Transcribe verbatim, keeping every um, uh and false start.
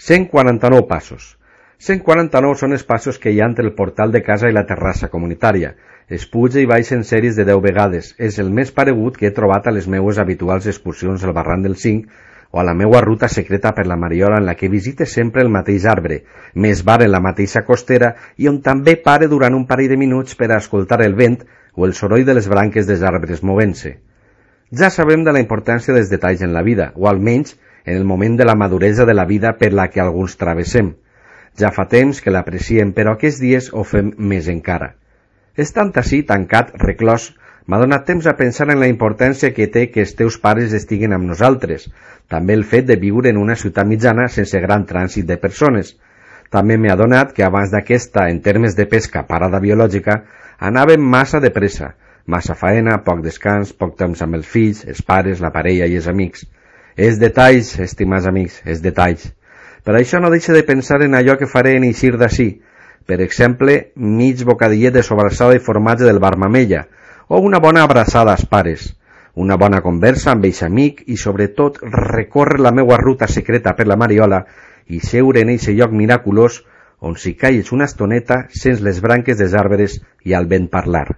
cent quaranta-nou passos. cent quaranta-nou són els passos que hi ha entre el portal de casa i la terrassa comunitària. Es puja i baixa en sèries de deu vegades. És el més paregut que he trobat a les meues habituals excursions al barranc del Cinc o a la meua ruta secreta per la Mariola, en la que visite sempre el mateix arbre, més bar en la mateixa costera i on també pare durant un parell de minuts per a escoltar el vent o el soroll de les branques dels arbres movent-se. Ja sabem de la importància dels detalls en la vida, o almenys en el moment de la maduresa de la vida per la que alguns travessem. Ja fa temps que l'apreciem, però aquests dies ho fem més encara. Estant així, tancat, reclòs, m'ha donat temps a pensar en la importància que té que els teus pares estiguen amb nosaltres, també el fet de viure en una ciutat mitjana sense gran trànsit de persones. També m'ha donat que abans d'aquesta, en termes de pesca, parada biològica, anàvem massa de pressa, massa faena, poc descans, poc temps amb els fills, els pares, la parella i els amics. És detalls, estimats amics, és detalls. Per això no deixe de pensar en allò que faré en eixir d'ací. Per exemple, mig bocadillet de sobrassada i formatge del bar Mamella, o una bona abraçada als pares, una bona conversa amb eixe amic i, sobretot, recórrer la meua ruta secreta per la Mariola i seure en eixe lloc miraculós on si calles una estoneta sents les branques dels arbres i al vent parlar.